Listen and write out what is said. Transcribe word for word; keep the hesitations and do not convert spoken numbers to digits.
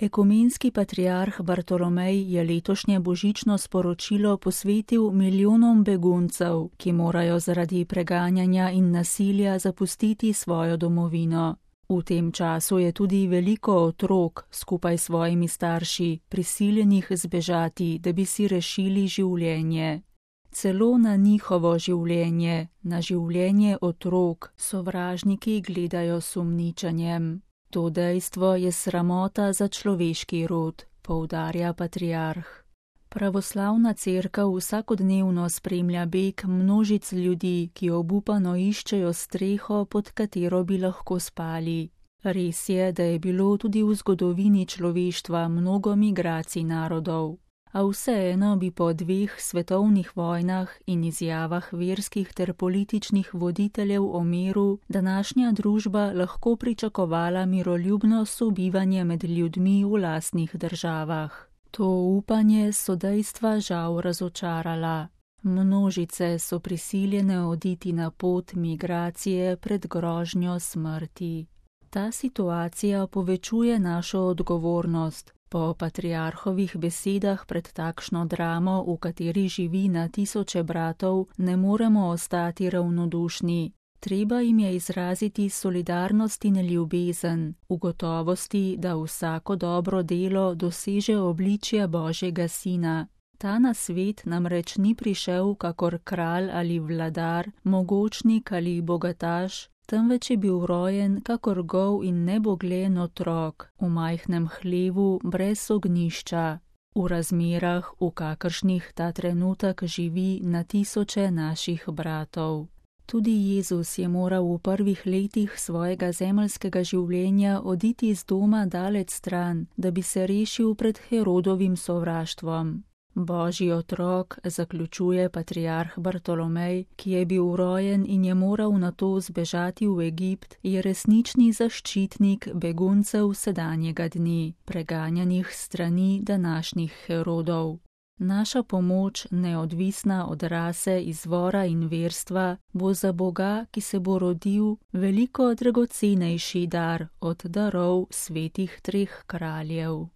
Ekumenski patriarh Bartolomej je letošnje božično sporočilo posvetil milijonom beguncev, ki morajo zaradi preganjanja in nasilja zapustiti svojo domovino. V tem času je tudi veliko otrok skupaj s svojimi starši prisiljenih zbežati, da bi si rešili življenje. Celo na njihovo življenje, na življenje otrok, sovražniki gledajo s sumničenjem. To dejstvo je sramota za človeški rod, poudarja patriarh. Pravoslavna cerkev vsakodnevno spremlja beg množic ljudi, ki obupano iščejo streho, pod katero bi lahko spali. Res je, da je bilo tudi v zgodovini človeštva mnogo migracij narodov. A vseeno bi po dveh svetovnih vojnah in izjavah verskih ter političnih voditeljev o miru današnja družba lahko pričakovala miroljubno sobivanje med ljudmi v lastnih državah. To upanje so dejstva žal razočarala. Množice so prisiljene oditi na pot migracije pred grožnjo smrti. Ta situacija povečuje našo odgovornost. Po patriarhovih besedah pred takšno dramo, v kateri živi na tisoče bratov, ne moremo ostati ravnodušni. Treba jim je izraziti solidarnost in ljubezen, v gotovosti, da vsako dobro delo doseže obličje Božjega Sina. Ta na svet namreč ni prišel kakor kralj ali vladar, mogočnik ali bogataš, temveč je bil rojen kakor gol in nebogljen otrok, v majhnem hlevu brez ognjišča, v razmerah, v kakršnih ta trenutek živi na tisoče naših bratov. Tudi Jezus je moral v prvih letih svojega zemeljskega življenja oditi z doma daleč stran, da bi se rešil pred Herodovim sovraštvom. Božji otrok, zaključuje patriarh Bartolomej, ki je bil rojen in je moral nato zbežati v Egipt, je resnični zaščitnik beguncev sedanjega dni, preganjanih strani današnjih Herodov. Naša pomoč, neodvisna od rase, izvora in verstva, bo za Boga, ki se bo rodil, veliko dragocenejši dar od darov svetih treh kraljev.